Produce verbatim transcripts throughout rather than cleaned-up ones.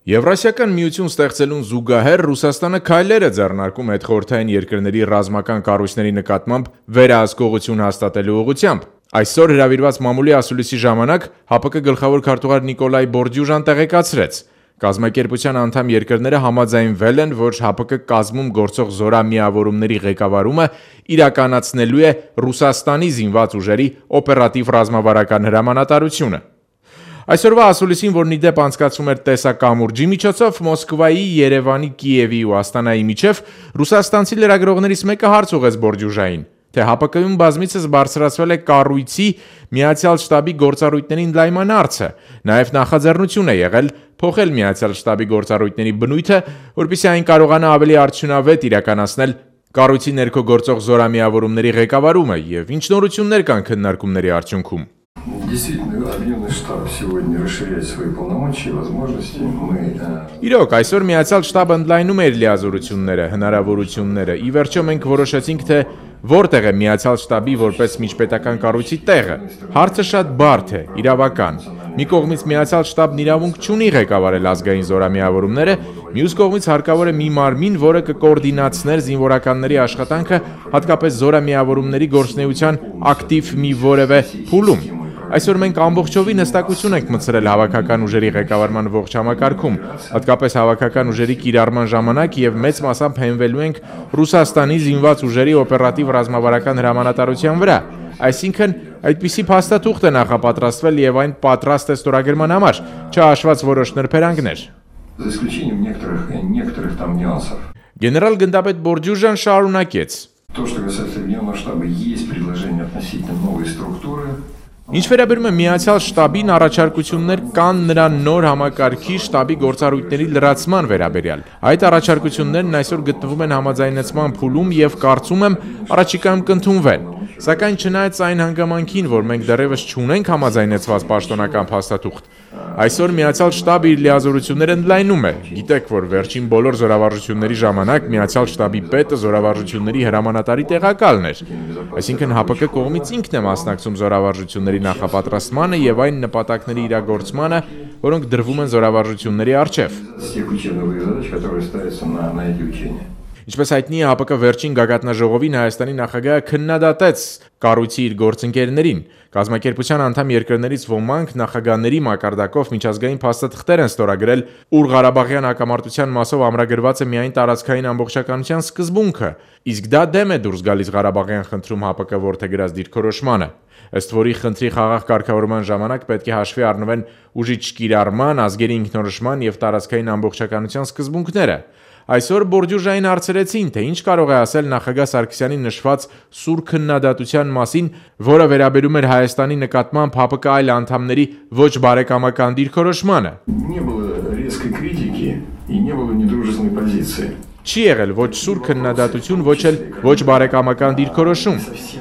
Եվրասիական միություն ստեղծելուն զուգահեռ Ռուսաստանը քայլեր է ձեռնարկում հետխորհրդային երկրների ռազմական կառույցների նկատմամբ վերահսկողություն հաստատելու ուղղությամբ։ Այսօր հրավիրված մամուլի ասուլիսի ժամանակ ՀԱՊԿ գլխավոր քարտուղար Նիկոլայ Բորդյուժան տեղեկացրեց. Կազմակերպության անդամ երկրները համաձայնվել են, որ ՀԱՊԿ կազմում գործող զորամիավորումների ղեկավարումը իրականացնելու է Ռուսաստանի զինված ուժերի օպերատիվ ռազմավարական հրամանատարությունը։ Այսօրվա ասուլիսին, որն ի դեպ անցկացվում էր տեսակամուրջի միջոցով, Մոսկվայի, Երևանի, Կիևի ու Աստանայի միջև ռուսաստանցի լրագրողներից մեկը հարց ուղղեց Բորդյուժային, թե ՀԱՊԿ-ում բազմիցս բարձրացվել է կառույցի Միացյալ շտաբի գործառույթների ընդլայնման հարցը, նաև նախաձեռնություն է եղել փոխել Միացյալ շտաբի գործառույթների բնույթը, որպեսզի այն կարողանա ավելի արդյունավետ իրականացնել կառույցի ներքո գործող զորամիավորումների ղեկավարումը եւ ինչ նորություններ կան քննարկումների արդյունքում։ Действительно, Объединенный штаб сегодня расширяет свои полномочия и возможности. Мы Իրոք, այսօր Միացյալ շտաբը ընդլայնում է իր լիազորությունները, հնարավորությունները։ Ի վերջո մենք որոշեցինք, թե որտեղ է Միացյալ շտաբի որպես միջպետական կառույցի տեղը։ Հարցը շատ բարդ է, իրավական։ Մի կողմից Միացյալ շտաբն իրավունք չունի ղեկավարել ազգային զորամիավորումները, մյուս կողմից հարկավոր է մի մարմին, որը կկոորդինացներ զինվորականների աշխատանքը, հատկապես զորամիավորումների գործունեության ակտիվ մի որևէ փուլում։ Այսօր մենք ամբողջովին հստակություն ենք մտցրել հավաքական ուժերի ղեկավարման ողջ համակարգում, հատկապես հավաքական ուժերի կիրառման ժամանակ եւ մեծ մասամբ հենվելու ենք Ռուսաստանի զինված ուժերի օպերատիվ ռազմավարական հրամանատարության վրա։ Այսինքն, այդպիսի փաստաթուղթ է նախապատրաստվել եւ այն պատրաստ է ստորագրման համար, չհաշված որոշ նրբերանգներ։ за исключением некоторых некоторых там нюансов. Գեներալ գնդապետ Բորդյուժան շարունակեց. То, что касается Объединенного штаба, есть предложение относительно новой структуры. Ինչ վերաբերում է Միացյալ շտաբին, առաջարկություններ կան նրա նոր համակարգի շտաբի գործառույթների լրացման վերաբերյալ։ Այդ առաջարկություններն այսօր գտնվում են համաձայնեցման փուլում եւ կարծում եմ առաջիկայում կընդունվեն։ Սակայն չնայած այն հանգամանքին, որ մենք դեռևս չունենք համաձայնեցված պաշտոնական փաստաթուղթ, այսօր Միացյալ շտաբը իր լիազորությունները ընդլայնում է։ Գիտեք, որ վերջին բոլոր զորավարժությունների ժամանակ Միացյալ շտաբի պետը զորավարժությունների հրամանատարի տեղակալն էր։ Այսինքն ՀԱՊԿ կողմից ինքն է մասնակցում զորավարժությունների նախապատրաստմանը եւ այն նպատակների իրագործմանը, որոնք դրվում են զորավարժությունների առջև։ Тех учебных задач, которые ставятся на на эти учения. Ինչպես հայտնի է, ՀԱՊԿ վերջին գագաթնաժողովին Հայաստանի նախագահը քննադատեց կառույցի իր գործընկերներին։ Կազմակերպության անդամ երկրներից ոմանք նախագահների մակարդակով միջազգային փաստաթղթեր են ստորագրել, ուր Ղարաբաղյան հակամարտության մասով ամրագրված է միայն տարածքային ամբողջականության սկզբունքը, իսկ դա դեմ է դուրս գալիս Ղարաբաղյան խնդրում ՀԱՊԿ որդեգրած դիրքորոշմանը։ Ըստ որի խնդրի խաղաղ կարգավորման ժամանակ պետք է հաշվի առնվեն ուժի չկիրառման, ազգերի ինքնորոշման եւ տարածքային ամբողջականության սկզբունքները։ Այսօր Բորդյուժային հարցրեցին, թե ինչ կարող է ասել նախագահ Սարգսյանի նշված սուր քննադատության մասին, որը վերաբերում էր Հայաստանի նկատմամբ ՀԱՊԿ այլ անդամների ոչ բարեկամական դիրքորոշմանը։ Не было резкой критики и не было недружественной позиции. Չի եղել ոչ սուր քննադատություն, ոչ էլ ոչ բարեկամական դիրքորոշում։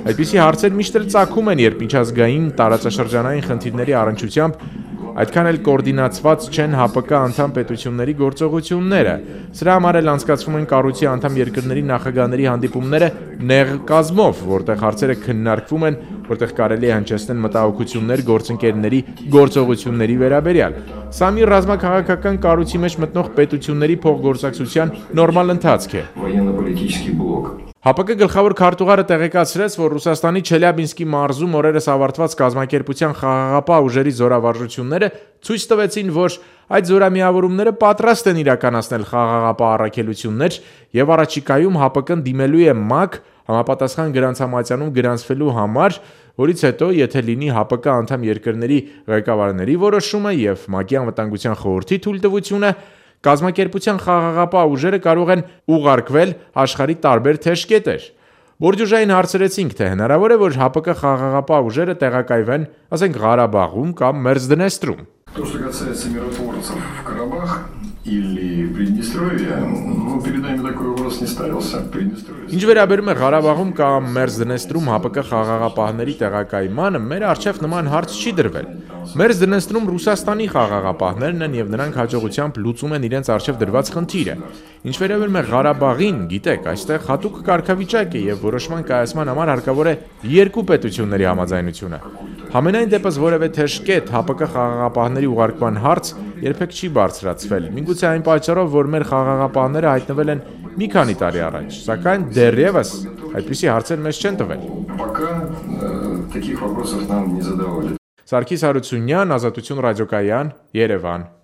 Այդպիսի հարցեր միշտ էլ ծագում են, երբ միջազգային տարածաշրջանային խնդիրների առնչությամբ այդքան էլ կոորդինացված չեն ՀԱՊԿ անդամ պետությունների գործողությունները։ Սրա համար էլ անցկացվում են կառույցի անդամ երկրների նախագահների հանդիպումները նեղ կազմով, որտեղ հարցերը քննարկվում են, որտեղ կարելի է հնչեցնել մտահոգություններ գործընկերների գործողությունների վերաբերյալ։ Սա մի ռազմաքաղաքական կառույցի մեջ մտնող պետությունների փոխգործակցության նորմալ ընթացք է։ Военно-политический блок. ՀԱՊԿ գլխավոր քարտուղարը տեղեկացրեց, որ Ռուսաստանի Չելյաբինսկի մարզում օրերս ավարտված կազմակերպության խաղաղապահ ուժերի զորավարժությունները ցույց տվեցին, որ այդ զորամիավորումները պատրաստ են իրականացնել խաղաղապահ առաքելություններ եւ առաջիկայում ՀԱՊԿ-ն դիմելու է ՄԱԿ համապատասխան գրանցամատյանում գրանցվելու համար, որից հետո, եթե լինի ՀԱՊԿ անդամ երկրների ղեկավարների որոշումը եւ ՄԱԿ-ի անվտանգության խորհրդի թույլտվությունը, կազմակերպության խաղաղապահ ուժերը կարող են ուղարկվել աշխարհի տարբեր թեժկետեր։ Բորդյուժային հարցրեցինք, թե հնարավոր է, որ ՀԱՊԿ խաղաղապահ ուժերը տեղակայվեն, ասենք, Ղարաբաղում կամ Մերձդնեստրում։ То, что касается миротворцев в Карабах или Приднестровье, ну, перед нами такой вопрос не ставился. Приднестровье. Ինչ վերաբերում է Ղարաբաղում կամ Մերձդնեստրում ՀԱՊԿ խաղաղապահների տեղակայմանը, մեր առջև նման հարց չի դրվել։ Մերձդնեստրում Ռուսաստանի խաղաղապահներն են եւ նրանք հաջողությամբ լուծում են իրենց առջև դրված խնդիրը։ Ինչ վերաբերում է Ղարաբաղին, գիտեք, այստեղ հատուկ կարգավիճակ է եւ որոշման կայացման համար հարկավոր է երկու պետությունների համաձայնությունը։ Համենայն դեպս որևէ թեժկետ ՀԱՊԿ խաղաղապահների զորքերի ուղարկման հարց երբեք չի բարձրացվել։ Միգուցե այն պատճառով, որ մեր խաղաղապահները հայտնվել են մի քանի տարի առաջ, սակայն դեռևս այդպիսի հարցեր մեզ չեն տվել։ Пока э, таких вопросов нам не задавали. Սարգիս Հարությունյան, Ազատություն ռադիոկայան, Երևան։